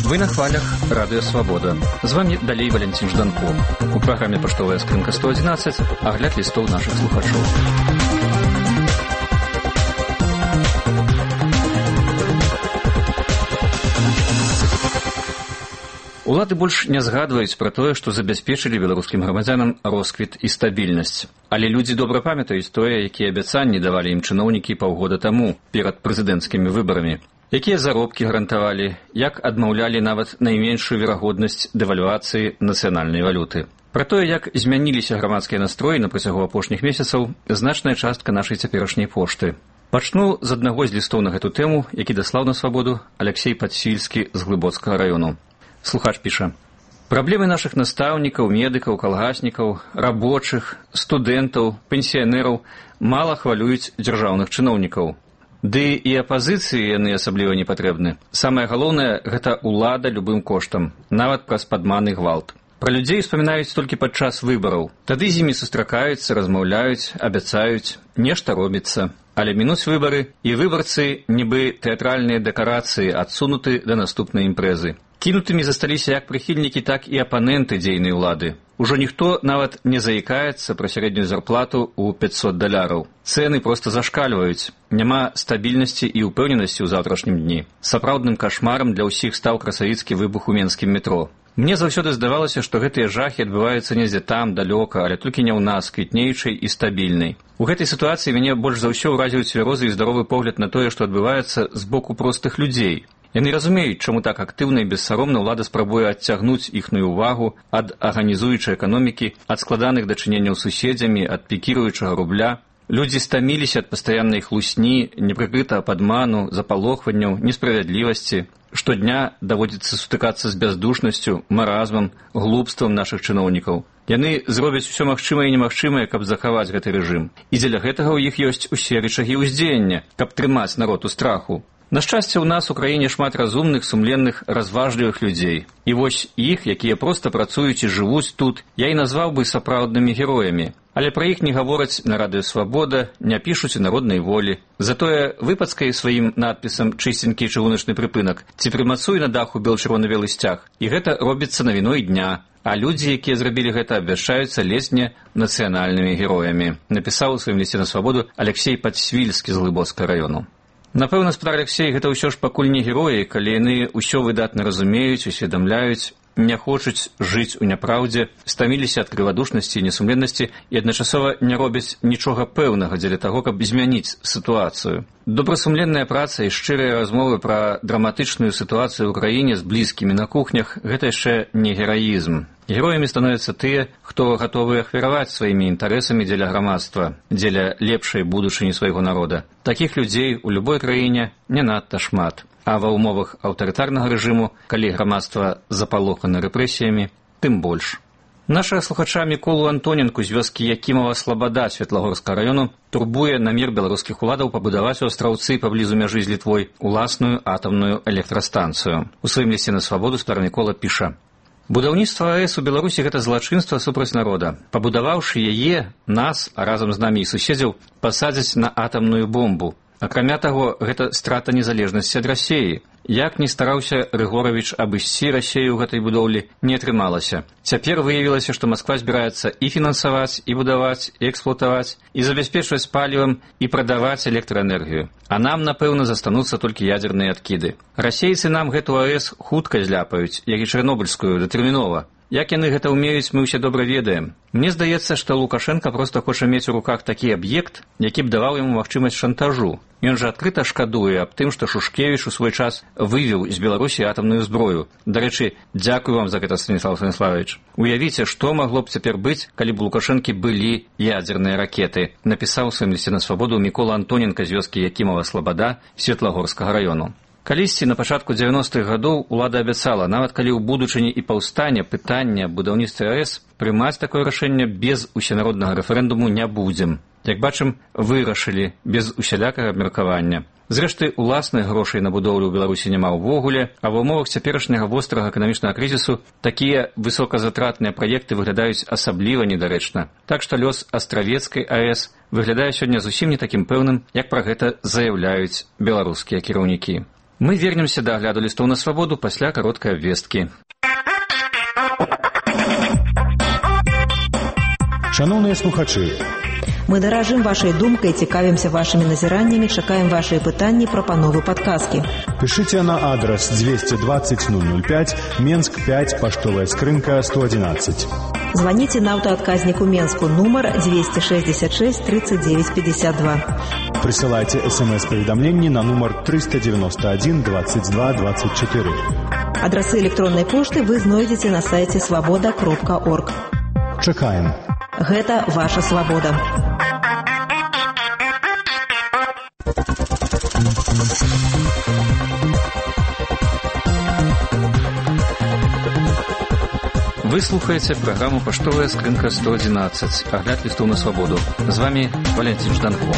Вы на хвалях Радио Свобода. З вами далей Валентин Жданко. У праграме «Паштовая скрынка 111» агляд лістоў нашых слухачоў. Улады больш не згадваюць пра тое, што забяспечылі беларускім грамадзянам росквіт і стабільнасць. Але людзі добра памятаюць тое, якія абяцанні давалі ім чыноўнікі паўгода таму перад прэзідэнцкімі выбарамі. Якія заробкі гарантавалі, як адмаўлялі нават найменшую верагоднасць дэвальвацыі нацыянальнай валюты. Пра тое, як змяніліся грамадскія настроі на працягу апошніх месяцаў, значная частка нашай цяперашняй пошты. Пачну з аднаго з лістоў на гэту тэму, які даслаў на Свабоду Алексей Падсвільскі з Глыбоцкага раёну. Слухач піша: «Праблемы нашых настаўнікаў, медыкаў, калгаснікаў, рабочых, студэнтаў, пенсіянераў мала хвалююць дзяржаўных чыноўнікаў. Ды і апазіцыі яны асабліва не патрэбны. Самае галоўнае – гэта ўлада любым коштам, нават праз падман і гвалт. Пра людзей успамінаюць толькі падчас выбараў. Тады з імі сустракаюцца, размаўляюць, абяцаюць, нешта робіцца. Але мінуць выбары, і выбарцы, нібы тэатральныя дэкарацыі, адсунуты да наступнай імпрэзы. Кінутымі засталіся як прыхільнікі, так і апаненты дзейнай улады. Ужо ніхто нават не заікаецца пра сярэднюю зарплату ў $500. Цэны проста зашкальваюць. Няма стабільнасці і ўпэўненасці ў заўтрашнім дні. Сапраўдным кашмарам для ўсіх стаў красавіцкі выбух у менскім метро. Мне заўсёды здавалася, што гэтыя жахі адбываюцца недзе там, далёка, але толькі не ў нас, квітнейчай і стабільнай. У гэтай сітуацыі мяне больш за ўсё ўразіў цвярозы і здаровы погляд на тое, што адбываецца з боку простых людзей. Яны разумеюць, чаму так актыўна і бессаромна ўлада спрабуе адцягнуць іхную ўвагу ад арганізуючай эканомікі, ад складаных дачыненняў з суседзямі, ад пікіруючага рубля. Людзі стаміліся ад пастаяннай хлусні, непрыкрытага падману, запалохванняў, несправядлівасці. Штодня даводзіцца сутыкацца з бяздушнасцю, маразмам, глупствам нашых чыноўнікаў. Яны зробяць усё магчымае і немагчымае, каб захаваць гэты рэжым. І дзеля гэтага ў іх ёсць усе рычагі ўздзеяння, каб трымаць народ у страху. На шчасце, у нас у краіне шмат разумных, сумленных, разважлівых людзей. І вось іх, якія проста працуюць і жывуць тут, я і назваў бы сапраўднымі героямі. Але пра іх не гавораць на Радыё Свабода, не пішуць у Народнай волі. Затое выпацкай сваім надпісам чыстенькі чыгуначны прыпынак ці прымацуй на даху бел-чырвона-белы сцяг. І гэта робіцца навіной дня. А людзі, якія зрабілі гэта, абвяшчаюцца ледзь не нацыянальнымі героямі. Напісаў у сваім лісце на Свабоду Алексей Падсвільскі з Глыбоцкага раёну. Напэўна, спадар Алексей, гэта ўсё ж пакуль не героі, калі яны ўсё выдатна разумеюць, усведамляюць, не хочуць жыць у няпраўдзе, стаміліся ад крывадушнасці і несумленнасці і адначасова не робяць нічога пэўнага дзеля таго, каб змяніць сітуацыю. Добрасумленная праца і шчырыя размовы пра драматычную сітуацыю ў краіне з блізкімі на кухнях – гэта яшчэ не гераізм. Героямі становяцца тыя, хто гатовы ахвяраваць сваімі інтарэсамі дзеля грамадства, дзеля лепшай будучыні свайго народа. Такіх людзей у любой краіне не надта шмат. А ва ўмовах аўтарытарнага рэжыму, калі грамадства запалохана рэпрэсіямі, тым больш. Нашага слухача Міколу Антоненку з вёскі Якімава-Слабада Светлагорскага раёну турбуе намер беларускіх уладаў пабудаваць у Астраўцы паблізу мяжы з Літвой уласную атамную электрастанцыю. У сваім лісце на Свабоду спадар Мікола піша: «Будаўніцтва АЭС у Беларусі – гэта злачынства супраць народа. Пабудаваўшы яе, нас, а разам з намі і суседзяў, пасадзяць на атамную бомбу. Акрамя таго, гэта страта незалежнасці ад Расеі. Як ні стараўся Рыгоравіч абысці Расею ў гэтай будоўлі, не атрымалася. Цяпер выявілася, што Масква збіраецца і фінансаваць, і будаваць, і эксплуатаваць, і забяспечваць палівам, і прадаваць электраэнергію. А нам, напэўна, застануцца толькі ядзерныя адкіды. Расейцы нам гэту АЭС хутка зляпаюць, як і чарнобыльскую, датэрмінова. Як яны гэта ўмеюць, мы ўсе добра ведаем. Мне здаецца, што Лукашенка проста хоча мець у руках такі аб'ект, які б даваў яму магчымасць шантажу. Ён жа адкрыта шкадуе аб тым, што Шушкевіч у свой час вывеў з Беларусі атамную зброю. Дарэчы, дзякую вам за гэта, Станіслав Станіславович. Уявіце, што магло б цяпер быць, калі б у Лукашэнкі былі ядзерныя ракеты, напісаў у сваім лісце на Свабоду Мікола Антоненка з вёскі Якімава-Слабада Светлагорскага раёну. Калісьці на пачатку 90-х гадоў улада абяцала, нават калі ў будучыні і паўстане пытання будаўніцтва АЭС, прымаць такое рашэнне без усенароднага рэферэндуму не будзем. Як бачым, вырашылі без усялякага абмеркавання. Зрэшты, уласных грошай на будоўлю ў Беларусі няма ўвогуле, а ва ўмовах цяперашняга вострага эканамічнага крызісу такія высоказатратныя праекты выглядаюць асабліва недарэчна. Так што лёс Астравецкай АЭС выглядае сёння зусім не такім пэўным, як пра гэта заяўляюць беларускія кіраўнікі. Мы вернемся да агляду лістоў на свабоду пасля кароткай абвесткі. Шановныя слухачы, мы даражым вашай думкай, цікавімся вашымі назіраннямі, чакаем вашыя пытанні, прапановы, падказкі. Пішыце на адрас 220 005, Менск 5, паштовая скрынка 111. Званіце на аўтаадказніку Менску, нумар 266 39 52. Прысылайце СМС-паведамленні на нумар 391 22 24. Адрасы электроннай пошты вы знойдзеце на сайце свабода.орг. Чакаем. Гэта ваша свабода. Вы слухаеце праграму «Паштовая скрынка 111», агляд лістоў на свабоду. З вами Валентин Жданко.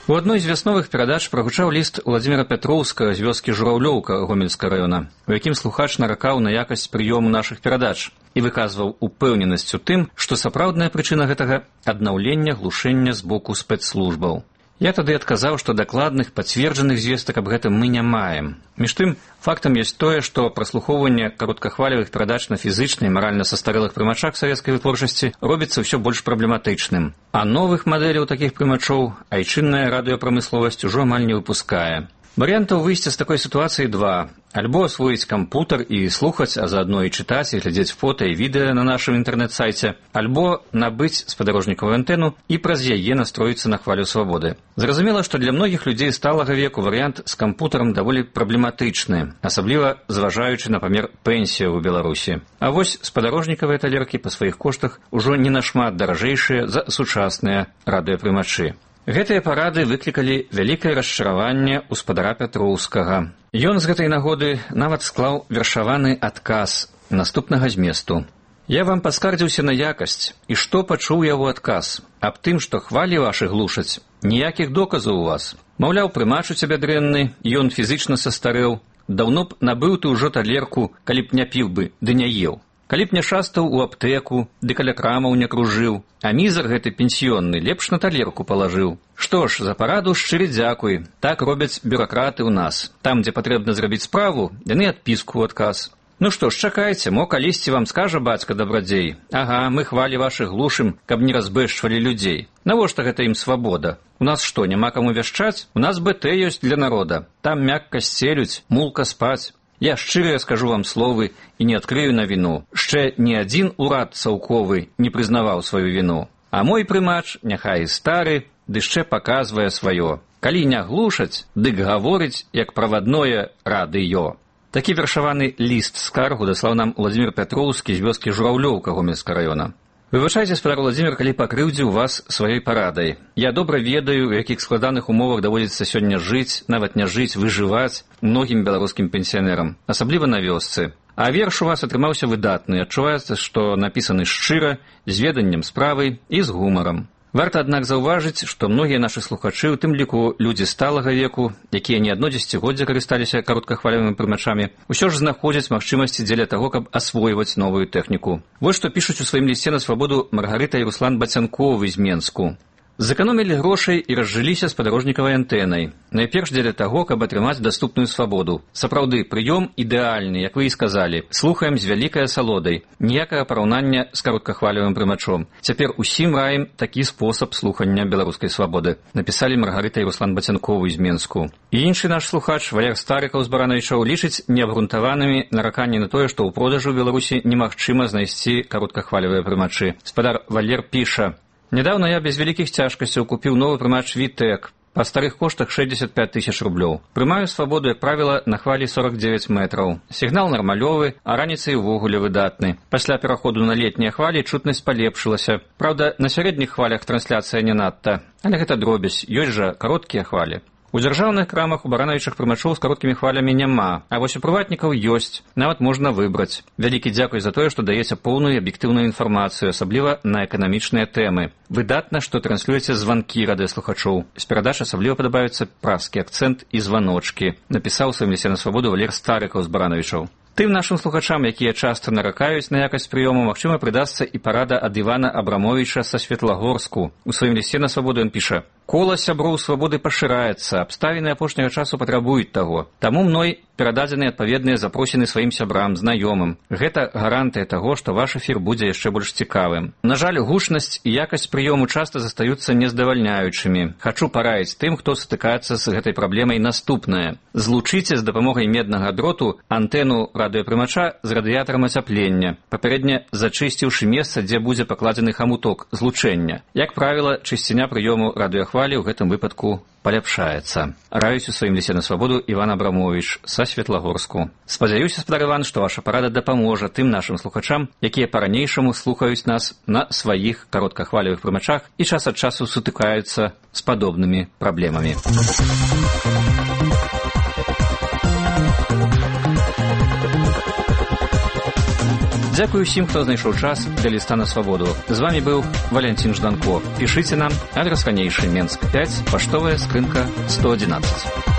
У адной з вясновых перадач прагучаў ліст Владзіміра Пятроўскага з вёскі Жураўлёўка Гомельскага раёна, у якім слухач наракаў на якасць прыёму нашых перадач і выказваў упэўненасць у тым, што сапраўдная прычына гэтага – аднаўлення глушэння з боку спецслужбаў. Я тады адказаў, што дакладных, пацверджаных звестак аб гэтым мы не маем. Між тым, фактам ёсць тое, што праслухоўванне кароткахвалевых перадач на фізычна і маральна састарэлых прымачах савецкай вытворчасці робіцца ўсё больш праблематычным. А новых мадэляў такіх прымачоў айчынная радыёпрамысловасць ужо амаль не выпускае. Варыянтаў выйсця з такой сітуацыі два. Альбо асвоіць кампутар і слухаць, а заадно і чытаць, і глядзець фота і відэа на нашым інтэрнэт-сайце, альбо набыць спадарожнікавую антэну і праз яе настроіцца на хвалю свабоды. Зразумела, што для многіх людзей сталага веку варыянт з кампутарам даволі праблематычны, асабліва зважаючы на памер пенсіі ў Беларусі. А вось спадарожнікавыя талеркі па сваіх коштах ужо не нашмат даражэйшыя за сучасныя радыёпрымачы. Гэтыя парады выклікалі вялікае расчараванне ў спадара Пятроўскага. Ён з гэтай нагоды нават склаў вершаваны адказ наступнага зместу. «Я вам паскардзіўся на якасць, і што пачуў яго адказ? Аб тым, што хвалі вашы глушаць. Ніякіх доказаў у вас. Маўляў, прымач у цябе дрэнны, ён фізычна састарэў. Даўно б набыў ты ўжо талерку, калі б не піў бы, ды не еў. Калі б не шастаў у аптэку, ды каля крамаў не кружыў, а мізар гэты пенсіённы лепш на талерку палажыў. Што ж, за параду шчыры дзякуй, так робяць бюракраты ў нас. Там, дзе патрэбна зрабіць справу, яны адпіску ў адказ. Ну што ж, чакайце, мо калісьці вам скажа бацька дабрадзей. Ага, мы хвалі вашых глушым, каб не разбэшчвалі людзей. Навошта гэта ім свабода? У нас што, няма каму вяшчаць? У нас БТ ёсць для народа. Там мякка сцелюць, мулка спаць. Я шчыра скажу вам словы і не адкрыю на віну. Шчэ ні адзін урад цаўковы не прызнаваў сваю віну. А мой прымач, няхай і стары, ды яшчэ паказвае сваё. Калі не глушаць, дык гаворыць, як правадное радыё». Такі вершаваны ліст скаргу даслаў нам Владзімір Пятроўскі з вёскі Жураўлёўка Гомельскага раёна. Выбачайце, спадар Владзімір, калі пакрыўдзіў вас сваёй парадай. Я добра ведаю, у якіх складаных умовах даводзіцца сёння жыць, нават не жыць, выжываць многім беларускім пенсіянерам, асабліва на вёсцы. А верш у вас атрымаўся выдатны, адчуваецца, што напісаны шчыра, з веданнем справы і з гумарам. Варта, аднак, заўважыць, што многія нашы слухачы, у тым ліку людзі сталага веку, якія не адно дзесяцігоддзе карысталіся кароткахвалевымі прымачамі, усё ж знаходзяць магчымасці дзеля таго, каб асвойваць новую тэхніку. Вось што пішуць у сваім лісце на свабоду Маргарыта і Руслан Бацянковы з Менску. Зэканомілі грошай і разжыліся спадарожнікавай antэнай. Найперш дзеля таго, каб атрымаць даступную свабоду. Сапраўды, прыём ідэальны, як вы і сказалі. Слухаем з вялікай асалодай. Ніякага параўнання з кароткахвалевым прымачом. Цяпер усім раім такі спосаб слухання беларускай свабоды. Напісалі Маргарыта і Руслан Бацянковы з Менску. І іншы наш слухач, Валер Старыкаў з Баранавічоў, лічыць неабгрунтаванымі нараканні на тое, што ў продажу ў Беларусі немагчыма знайсці кароткахвалевыя прымачы. Спадар Валер піша: «Недавно я без великих тяжкостей купил новый прымач VTEC по старых коштах 65 тысяч рублёў. Прымаю свабоду, як правіла, на хвалі 49 метраў. Сігнал нармалёвы, а раніцай увогуле выдатны. Пасля пераходу на летнія хвалі чутнасць палепшылася. Праўда, на сярэдніх хвалях трансляцыя не надта. Але гэта дробязь, ёсць жа кароткія хвалі. У дзяржаўных крамах у баранавічых прымачоў з кароткімі хвалямі няма, а вось у прыватнікаў ёсць, нават можна выбраць. Вялікі дзякуй за тое, што даеце поўную і аб'ектыўную інфармацыю, асабліва на эканамічныя тэмы. Выдатна, што транслюеце званкі радыёслухачоў. З перадач асабліва падабаюцца пражскі акцэнт і званочкі, напісаў у сваім лісце на свабоду Валер Старыкаў з Баранавічоў. Тым нашым слухачам, якія часта наракаюць на якасць прыёму, магчыма, прыдасца і парада ад Івана Абрамовіча са Светлагорску. У сваім лісце на свабоду ён піша: «Кола сяброў свабоды пашыраецца, абставіны апошняга часу патрабуюць таго. Таму мной перададзены адпаведныя запросіны сваім сябрам, знаёмым. Гэта гарантыя таго, што ваш эфір будзе яшчэ больш цікавым. На жаль, гучнасць і якасць прыёму часта застаюцца нездавальняючымі. Хачу параіць тым, хто сутыкаецца з гэтай праблемай, наступнае. Злучыце з дапамогай меднага дроту антэну радыёпрымача з радыятарам ацяплення, папярэдне зачысціўшы месца, дзе будзе пакладзены хамуток злучэння. Як правіла, чысціня прыёму радыёхвалі ў гэтым выпадку паляпшаецца. Раюсь у сваім лісце на свабоду Іван Абрамовіч са Светлагорску. Спадзяюся, спадар Іван, што ваша парада дапаможа тым нашым слухачам, якія па-ранейшаму слухаюць нас на сваіх кароткахвалевых прымачах і час ад часу сутыкаюцца з падобнымі праблемамі. Дзякую ўсім, хто знайшоў час для ліста на свабоду. З вами быў Валянцін Жданко. Пішыце нам, адрас ранейшы, Менск 5, паштовая скрынка 111.